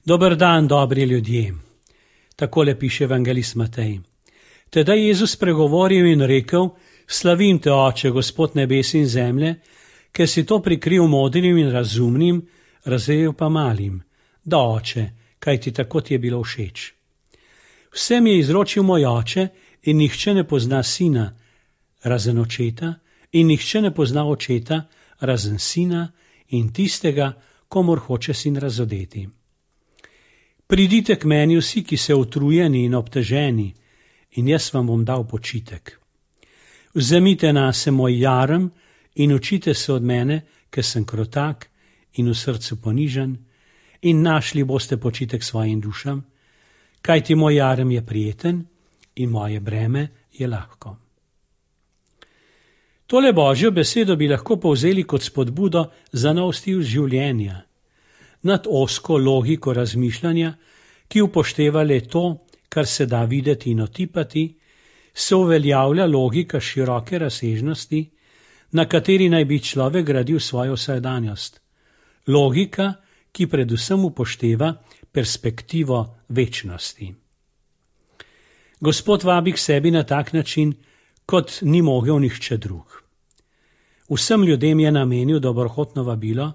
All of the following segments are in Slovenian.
Dober dan, dobri ljudje. Takole piše evangelist Matej. Tedaj je Jezus spregovoril in rekel: Slavim te, Oče, Gospod nebes in zemlje, ker si to prikril modrim in razumnim, razvejal pa malim. Da, Oče, kaj ti tako ti je bilo všeč. Vsem je izročil moj Oče in nihče ne pozna Sina, razen Očeta, in nihče ne pozna Očeta, razen Sina in tistega, komur hoče Sin razodeti. Pridite k meni vsi, ki se utrujeni in obteženi, in jaz vam bom dal počitek. Vzemite nase moj jarem in učite se od mene, ker sem krotak in v srcu ponižen, in našli boste počitek svojim dušam, kajti moj jarem je prijeten in moje breme je lahko. Tole Božjo besedo bi lahko povzeli kot spodbudo za nov stil življenja, nad ozko logiko razmišljanja, ki upošteva le to, kar se da videti in otipati, se uveljavlja logika široke razsežnosti, na kateri naj bi človek gradil svojo vsakdanjost. Logika, ki predvsem upošteva perspektivo večnosti. Gospod vabi k sebi na tak način, kot ni mogel nihče drug. Vsem ljudem je namenil dobrohotno vabilo: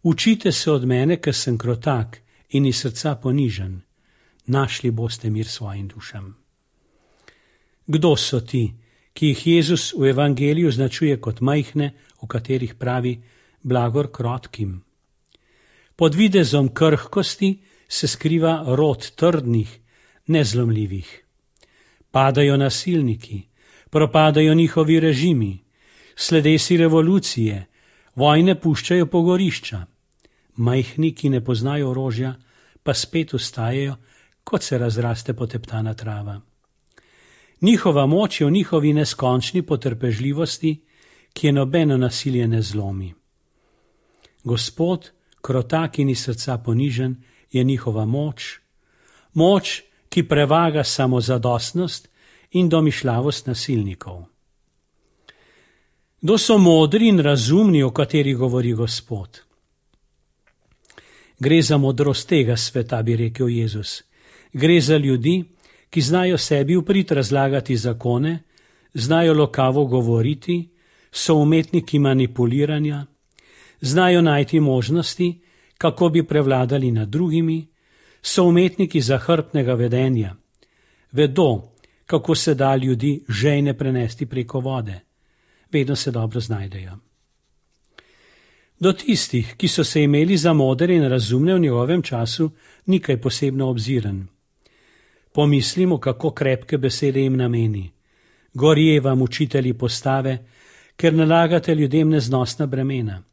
Učite se od mene, ker sem krotak in iz srca ponižen, našli boste mir svojim dušam. Kdo so ti, ki jih Jezus v evangeliju označuje kot majhne, o katerih pravi blagor krotkim? Pod videzom krhkosti se skriva rod trdnih, nezlomljivih. Padajo nasilniki, propadajo njihovi režimi, sledesi revolucije, vojne puščajo pogorišča. Majhni, ki ne poznajo orožja, pa spet ustajejo, kot se razraste poteptana trava. Njihova moč je v njihovi neskončni potrpežljivosti, ki je nobeno nasilje ne zlomi. Gospod, krotak in iz srca ponižen, je njihova moč, moč, ki prevaga samozadostnost in domišljavost nasilnikov. Kdo so modri in razumni, o kateri govori Gospod? Gre za modrost tega sveta, bi rekel Jezus. Gre za ljudi, ki znajo sebi vprit razlagati zakone, znajo lokavo govoriti, so umetniki manipuliranja, znajo najti možnosti, kako bi prevladali nad drugimi, so umetniki zahrbtnega vedenja. Vedo, kako se da ljudi žejne prenesti preko vode. Vedno se dobro znajdejo. Do tistih, ki so se imeli za modre in razumne v njegovem času, ni kaj posebno obziren. Pomislimo, kako krepke besede jim nameni. Gorje vam, učitelji postave, ker nalagate ljudem neznosna bremena.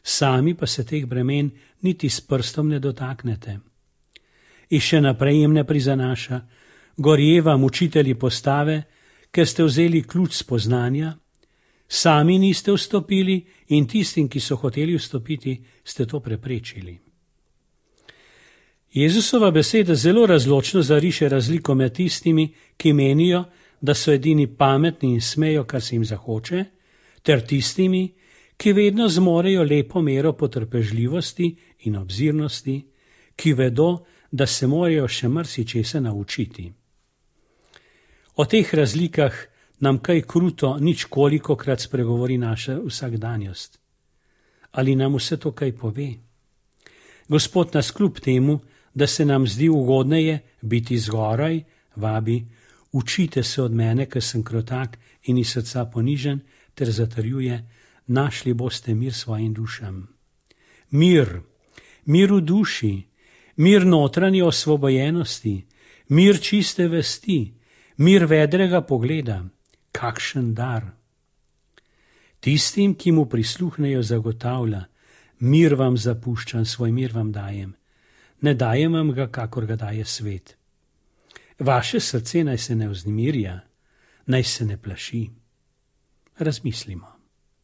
Sami pa se teh bremen niti s prstom ne dotaknete. In še naprej jim ne prizanaša: Gorje vam, učitelji postave, ker ste vzeli ključ spoznanja, sami niste vstopili in tistim, ki so hoteli vstopiti, ste to preprečili. Jezusova beseda zelo razločno zariše razliko med tistimi, ki menijo, da so edini pametni in smejo, kar se jim zahoče, ter tistimi, ki vedno zmorejo lepo mero potrpežljivosti in obzirnosti, ki vedo, da se morajo še marsičesa naučiti. O teh razlikah nam kaj kruto ničkolikokrat spregovori naša vsakdanjost. Ali nam vse to kaj pove? Gospod nas kljub temu, da se nam zdi ugodneje biti zgoraj, vabi: Učite se od mene, ker sem krotak in iz srca ponižen, ter zatrjuje: Našli boste mir svojim dušam. Mir, mir v duši, mir notranje osvobojenosti, mir čiste vesti, mir vedrega pogleda. Kakšen dar! Tistim, ki mu prisluhnejo, zagotavlja: Mir vam zapuščam, svoj mir vam dajem. Ne dajem vam ga, kakor ga daje svet. Vaše srce naj se ne vznemirja, naj se ne plaši. Razmislimo.